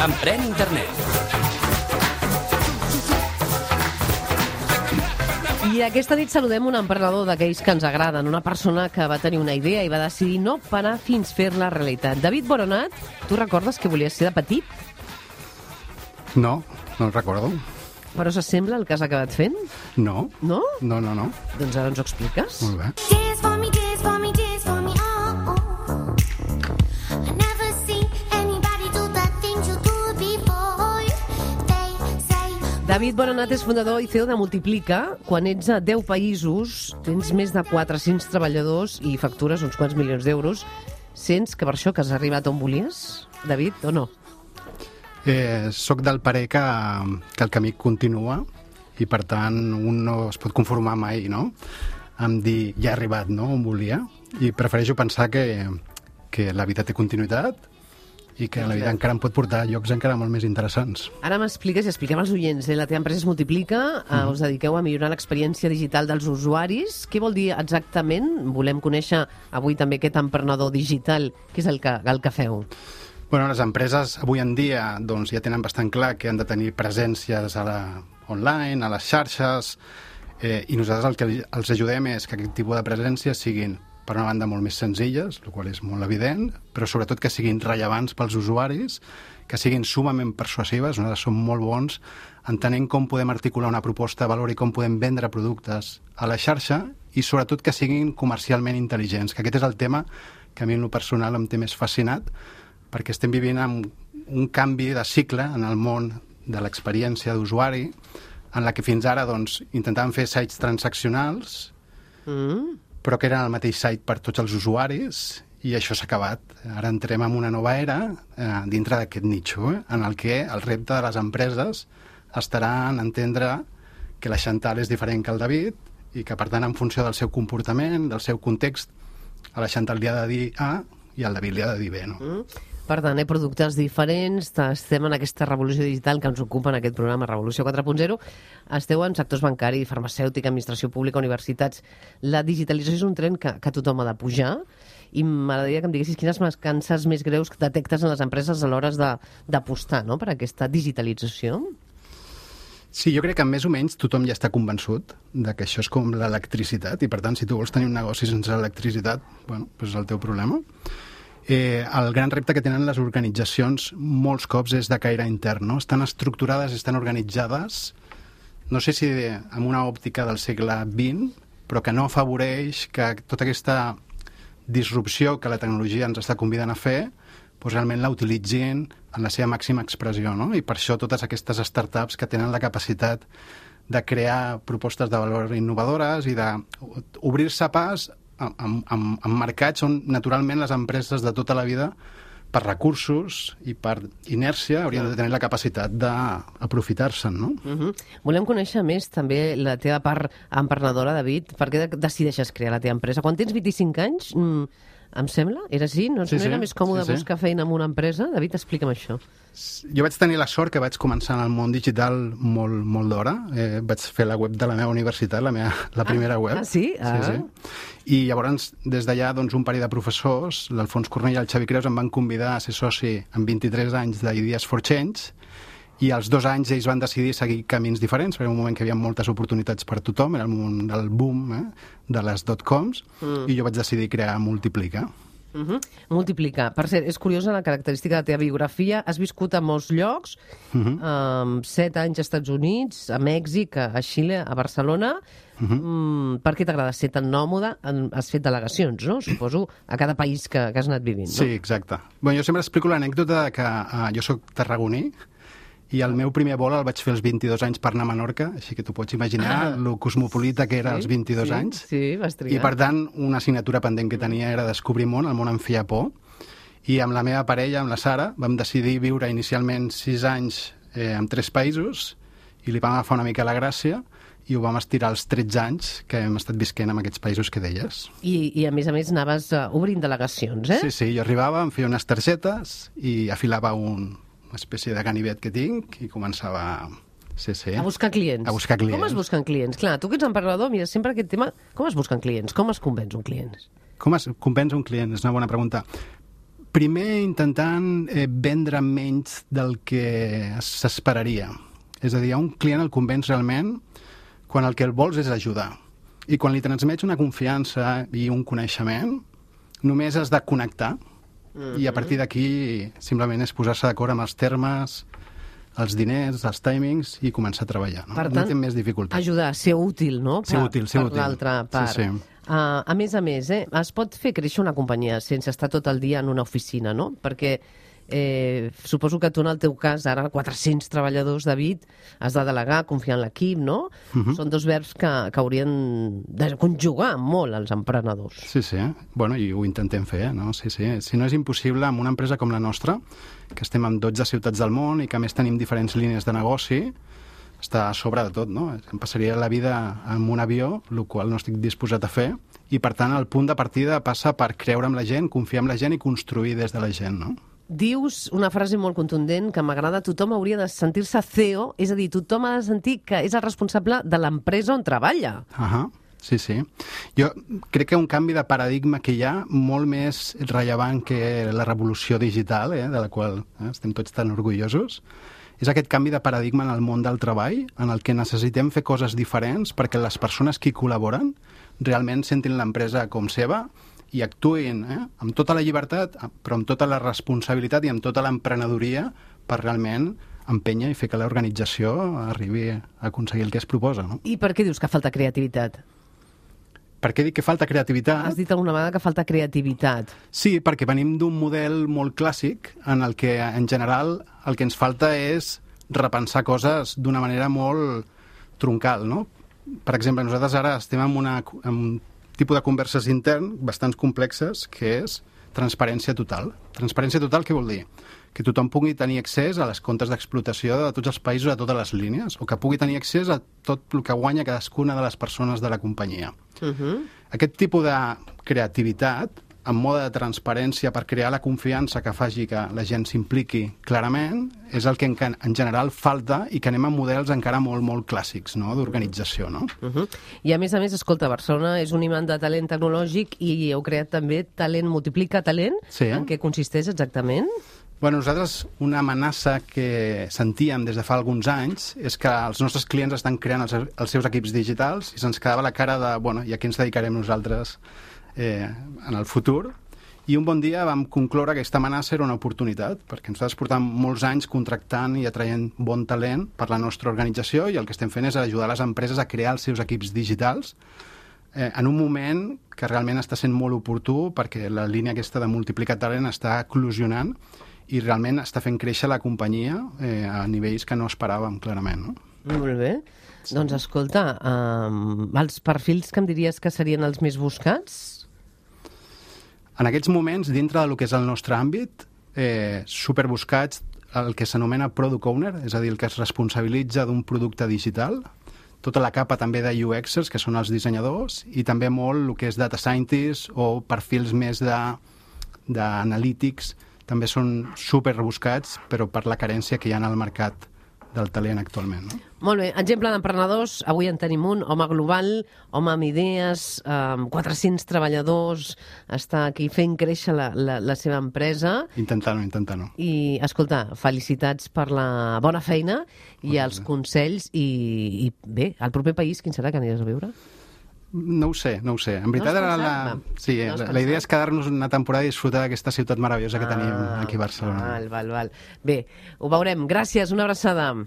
Emprèn internet. I aquesta nit saludem un emprenedor d'aquells que ens agraden, una persona que va tenir una idea i va decidir no parar fins fer-la realitat. David Boronat, tu recordes que volies ser de petit? No, no el recordo. Però s'assembla el que has acabat fent? No. No? No. Doncs ara ens ho expliques. Molt bé. Dance for me, dance for me, dance for me, oh, oh. I never seen anybody do the things you do before. They say... David Boronat és fundador i CEO de Multiplica. Quan ets a 10 països, tens més de 400 treballadors i factures uns quants milions d'euros. Sents que per això que has arribat on volies, David, o no? Soc del parer que el camí continua i, per tant, un no es pot conformar mai, no?, amb dir, ja he arribat, no?, on volia. I prefereixo pensar que la vida té continuïtat i que la vida encara em pot portar a llocs encara molt més interessants. Ara m'expliques i expliquem als oients. La teva empresa es Multiplica, us dediqueu a millorar l'experiència digital dels usuaris. Què vol dir exactament? Volem conèixer avui també aquest emprenedor digital. Què és el que feu? Bueno, les empreses avui en dia doncs, ja tenen bastant clar que han de tenir presències online, a les xarxes, i nosaltres el que els ajudem és que aquest tipus de presències siguin, per una banda, molt més senzilles, el qual és molt evident, però sobretot que siguin rellevants pels usuaris, que siguin sumament persuasives. Nosaltres som molt bons entenent com podem articular una proposta de valor i com podem vendre productes a la xarxa i sobretot que siguin comercialment intel·ligents, que aquest és el tema que a mi en lo personal em té més fascinat, perquè estem vivint un canvi de cicle en el món de l'experiència d'usuari, en la que fins ara doncs, intentàvem fer sites transaccionals, però que eren el mateix site per tots els usuaris, i això s'ha acabat. Ara entrem en una nova era dintre d'aquest nicho, en el que el repte de les empreses estarà en entendre que la Chantal és diferent que el David i que, per tant, en funció del seu comportament, del seu context, a la Chantal li ha de dir A i al David li ha de dir B, no? Per tant, productes diferents, estem en aquesta revolució digital que ens ocupa en aquest programa, Revolució 4.0. Esteu en sectors bancari, farmacèutica, administració pública, universitats. La digitalització és un tren que tothom ha de pujar i m'agradaria que em diguessis quines mancances més greus que detectes en les empreses a l'hora d'apostar, no?, per aquesta digitalització. Sí, jo crec que més o menys tothom ja està convençut de que això és com l'electricitat i, per tant, si tu vols tenir un negoci sense electricitat, bueno, doncs és el teu problema. El gran repte que tenen les organitzacions molts cops és de caire intern, no? Estan estructurades, estan organitzades, no sé si amb una òptica del segle XX, però que no afavoreix que tota aquesta disrupció que la tecnologia ens està convidant a fer, doncs realment la utilitzin en la seva màxima expressió, no? I per això totes aquestes startups que tenen la capacitat de crear propostes de valor innovadores i d'obrir-se pas en mercats on naturalment les empreses de tota la vida per recursos i per inèrcia haurien de tenir la capacitat d'aprofitar-se'n, no? Volem conèixer més també la teva part emprenedora, David. Per què decideixes crear la teva empresa? Quan tens 25 anys, em sembla, era així? No era més còmode buscar feina en una empresa? David, explica'm això. Jo vaig tenir la sort que vaig començar en el món digital molt d'hora. Vaig fer la web de la meva universitat, la primera web. Ah, sí? Sí. I llavors, des d'allà, doncs, un parell de professors, l'Alfons Cornell i el Xavi Creus, em van convidar a ser soci amb 23 anys d'Ideas for Change, i als 2 anys ells van decidir seguir camins diferents, perquè era un moment que hi havia moltes oportunitats per tothom, era el moment del boom de les .coms, i jo vaig decidir crear Multiplica. Multiplicar. Per cert, és curiosa la característica de la teva biografia. Has viscut a molts llocs, 7 anys als Estats Units, a Mèxic, a Xile, a Barcelona. Per què t'agrada ser tan nòmode? Has fet delegacions, no? Suposo, a cada país que has anat vivint, no? Sí, exacte. Bueno, jo sempre explico l'anècdota que jo soc tarragoní, i el meu primer vol el vaig fer als 22 anys per anar a Menorca, així que tu pots imaginar lo cosmopolita que era als 22 anys. Sí, vas trigar. I, per tant, una assignatura pendent que tenia era descobrir món, el món em feia por, i amb la meva parella, amb la Sara, vam decidir viure inicialment 6 anys en 3 països, i li vam agafar una mica la gràcia, i ho vam estirar als 13 anys que hem estat visquent en aquests països que deies. I a més anaves obrint delegacions, eh? Sí, jo arribava, em feia unes targetes i afilava una espècie de ganivet que tinc i començava a buscar clients. A buscar clients. Com es busquen clients? Clar, tu que ets emprenedor, mira, sempre aquest tema, com es busquen clients? Com es convenç un client? Com es compensa un client? És una bona pregunta. Primer, intentant vendre menys del que s'esperaria. És a dir, a un client el convenç realment quan el que el vols és ajudar. I quan li transmets una confiança i un coneixement, només has de connectar. I a partir d'aquí simplement és posar-se d'acord amb els termes, els diners, els timings i començar a treballar. No? Per No tant, té més dificultat. ajudar, ser útil, no? Ser útil. Per l'altra part. Sí, sí. A més, es pot fer créixer una companyia sense estar tot el dia en una oficina, no? Perquè suposo que tu, en el teu cas, ara 400 treballadors, David, has de delegar, confiar en l'equip, no? Són dos verbs que haurien de conjugar molt els emprenedors. Sí, sí. Bueno, i ho intentem fer, no? Sí, sí. Si no és impossible, amb una empresa com la nostra, que estem en 12 ciutats del món i que a més tenim diferents línies de negoci, està a sobre de tot, no? Em passaria la vida en un avió, el qual no estic disposat a fer, i per tant el punt de partida passa per creure en la gent, confiar en la gent i construir des de la gent, no? Dius una frase molt contundent que m'agrada: tothom hauria de sentir-se CEO, és a dir, tothom ha de sentir que és el responsable de l'empresa on treballa. Sí, sí. Jo crec que un canvi de paradigma que hi ha molt més rellevant que la revolució digital, de la qual estem tots tan orgullosos, és aquest canvi de paradigma en el món del treball, en el que necessitem fer coses diferents perquè les persones que hi col·laboren realment sentin l'empresa com seva i actuïn amb tota la llibertat, però amb tota la responsabilitat i amb tota l'emprenedoria per realment empènyer i fer que l'organització arribi a aconseguir el que es proposa. No? I per què dius que falta creativitat? Per què dic que falta creativitat? Has dit alguna vegada que falta creativitat. Sí, perquè venim d'un model molt clàssic en el que, en general, el que ens falta és repensar coses d'una manera molt troncal, no? Per exemple, nosaltres ara estem en un tipus de converses intern bastants complexes, que és transparència total. Transparència total què vol dir? Que tothom pugui tenir accés a les comptes d'explotació de tots els països, a totes les línies, o que pugui tenir accés a tot el que guanya cadascuna de les persones de la companyia. Aquest tipus de creativitat, en mode de transparència per crear la confiança que faci que la gent s'impliqui clarament, és el que en general falta i que anem a models encara molt, molt clàssics, no?, d'organització, no? I a més, escolta, Barcelona és un imant de talent tecnològic i heu creat també Talent Multiplica Talent. Sí. En què consisteix exactament? Bueno, nosaltres una amenaça que sentíem des de fa alguns anys és que els nostres clients estan creant els seus equips digitals i se'ns quedava la cara de, bueno, i a què ens dedicarem nosaltres en el futur? I un bon dia vam concloure que aquesta amenaça era una oportunitat, perquè nosaltres portem molts anys contractant i atraient bon talent per la nostra organització i el que estem fent és ajudar les empreses a crear els seus equips digitals en un moment que realment està sent molt oportú perquè la línia aquesta de multiplicar talent està eclosionant i realment està fent créixer la companyia a nivells que no esperàvem, clarament, no? Molt bé. Sí. Doncs escolta, els perfils que em diries que serien els més buscats? En aquests moments, dintre del que és el nostre àmbit, superbuscats el que s'anomena Product Owner, és a dir, el que es responsabilitza d'un producte digital, tota la capa també de UXers, que són els dissenyadors, i també molt el que és Data Scientists o perfils més d'analítics, també són superbuscats, però per la carència que hi ha al mercat del talent actualment. No? Molt bé. Exemple d'emprenedors, avui en tenim un home global, home amb idees, 400 treballadors, està aquí fent créixer la seva empresa. Intentant-ho. I, escolta, felicitats per la bona feina i els consells i bé, al proper país, quin serà que aniràs a viure? No ho sé. En veritat, la idea és quedar-nos una temporada i disfrutar d'aquesta ciutat meravellosa que tenim aquí a Barcelona. Val. Bé, ho veurem. Gràcies, una abraçada.